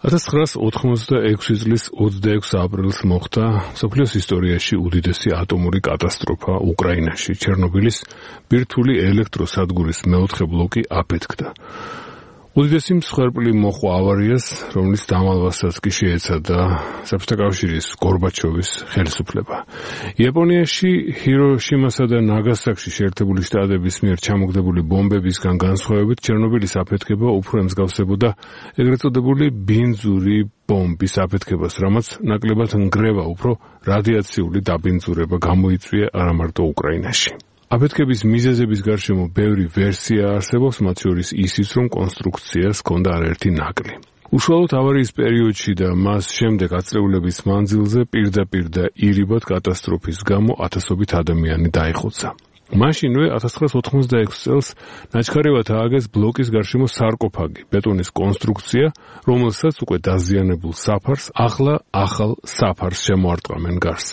1986 წლის 26 აპრილს მოხდა მსოფლიოს ისტორიაში უდიდესი ატომური კატასტროფა უკრაინაში. ჩერნობილის ბირთვული ელექტროსადგურის მეოთხე ბლოკი აფეთქდა. უდიდესი მსხვერპლი მოჰყვა ავარიას, რომლის დამალვასაც კი შეეცადა საბჭოთა კავშირის გორბაჩოვის ხელისუფლება. იაპონიაში ჰიროშიმასა და ნაგასაკში შეერთებული შტატების მიერ ჩამოგდებული ბომბებისგან განსხვავებით, ჩერნობილის აფეთქება უფრო ემსგავსებოდა ეგრეთ წოდებული ბინძური ბომბის აფეთქებას, რამაც ნაკლებად ნგრევა უფრო რადიაციული დაბინძურება გამოიწვია არა მარტო უკრაინაში. აფეთქების მიზეზების გარშემო ბევრი ვერსია არსებობს, მათ შორის ისიც, რომ კონსტრუქციას ჰქონდა არაერთი ნაკლი. უშუალოდ ავარიის პერიოდში და მას შემდეგ აწლეულების მანძილზე პირდაპირ და ირიბად კატასტროფის გამო ათასობით ადამიანი დაიხოცა. მაშინვე 1986 წელს ნაჩქარევად ააგეს ბლოკის გარშემო სარკოფაგი, ბეტონის კონსტრუქცია, რომელსაც უკვე დაზიანებულ საფარს ახლა ახალ საფარს შემოარტყამენ გარს.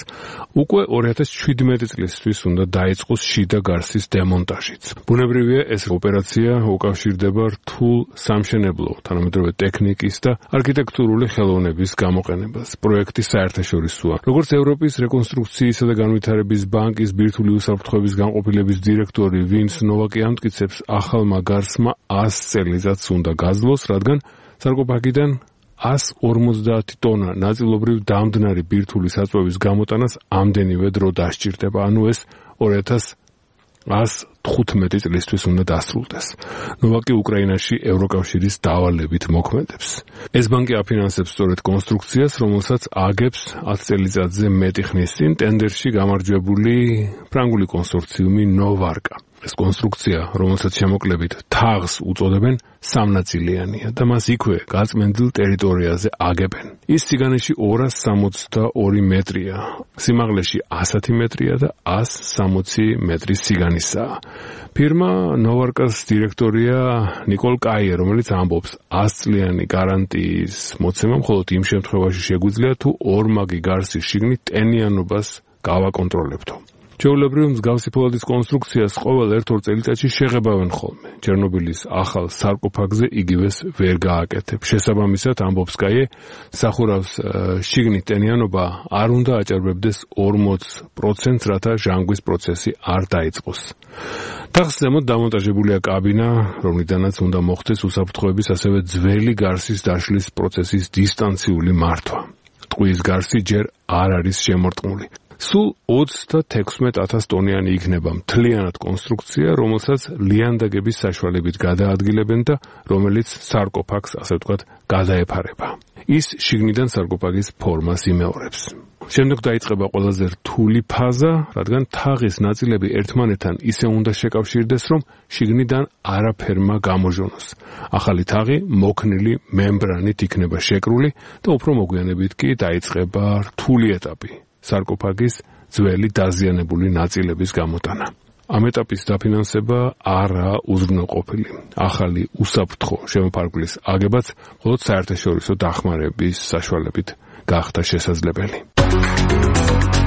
უკვე 2017 წლისთვის უნდა დაიწყოს შიდა გარსის დემონტაჟიც. ბუნებრივია, ეს ოპერაცია უკავშირდება რთულ სამშენებლო, თანამედროვე ტექნიკის და არქიტექტურული ხელოვნების გამოყენებას. პროექტი საერთაშორისოა. როგორც ევროპის რეკონსტრუქციისა და განვითარების ბანკის ბირთვული უსაფრთხოების განყოფილების დირექტორი ვინს ნოვაკი ამტკიცებს, ახალმა გარსმა 100 წელიწადს უნდა გაძლოს, რადგან სარკოფაგიდან 150 ტონა ნაწილობრივ დამდნარი ბირთვული საწვევის გამოტანას ამდენივე დრო დასჭირდება, ანუ ეს 2115 წლისთვის უნდა დასრულდეს. ნოვაკი უკრაინაში ევროკავშირის დავალებით მოქმედებს. ეს ბანკი აფინანსებს სწორედ კონსტრუქციას, რომელსაც აგებს 10 წელიწადზე მეტი ხნის წინ ტენდერში გამარჯვებული ფრანგული კონსორციუმი ნოვარკა. ეს კონსტრუქცია, რომელსაც შემოკლებით თაღს უწოდებენ, სამნაწილიანია და მას იქვე გაწმენდილ ტერიტორიაზე აგებენ. ის სიგანეში 262 მეტრია, სიმაღლეში 100 მეტრია და 160 მეტრის სიგანისაა. ფირმა ნოვარკას დირექტორია ნიკოლ კაიე, რომელიც ამბობს, 100 წლიანი გარანტიის მოცემა მხოლოდ იმ შემთხვევაში შეგვიძლია, თუ ორმაგი გარსის შიგნით ტენიანობას გავაკონტროლებთო. ჩვეულებრივ მსგავსი ფოლადის კონსტრუქციას ყოველ 1-2 წელიწადში შეღებავენ ხოლმე. ჩერნობილის ახალ სარკოფაგზე იგივეს ვერ გააკეთებ. შესაბამისად, ამბობს კაიე, სახურავს შიგნით ტენიანობა არ უნდა აჭარბებდეს 40%, რათა ჟანგვის პროცესი არ დაიწყოს. თაღს ზემოთ დამონტაჟებულია კაბინა, რომლიდანაც უნდა მოხდეს უსაფრთხოების, ასევე ძველი გარსის დაშლის პროცესის დისტანციური მართვა. ტყუის გარსი ჯერ არ არის შემორტყმული. სულ 36,000 ტონიანი იქნება მთლიანად კონსტრუქცია, რომელსაც ლიანდაგების საშუალებით გადაადგილებენ და რომელიც სარკოფაგს, ასე ვთქვათ, გადაეფარება. ის შიგნიდან სარკოფაგის ფორმას იმეორებს. შემდეგ დაიწყება ყველაზე რთული ფაზა, რადგან თაღის ნაწილები ერთმანეთთან ისე უნდა შეკავშირდეს, რომ შიგნიდან არაფერმა გამოჟონოს. ახალი თაღი მოქნილი მემბრანით იქნება შეკრული და უფრო მოგვიანებით კი დაიწყება რთული ეტაპი. სარკოფაგის ძველი დაზიანებული ნაწილების გამოტანა. ამ ეტაპის დაფინანსება არაა უზრუნველყოფილი. ახალი უსაფრთხო შემოფარგლის აგებაც მხოლოდ საერთაშორისო დახმარების საშუალებით გახდა შესაძლებელი.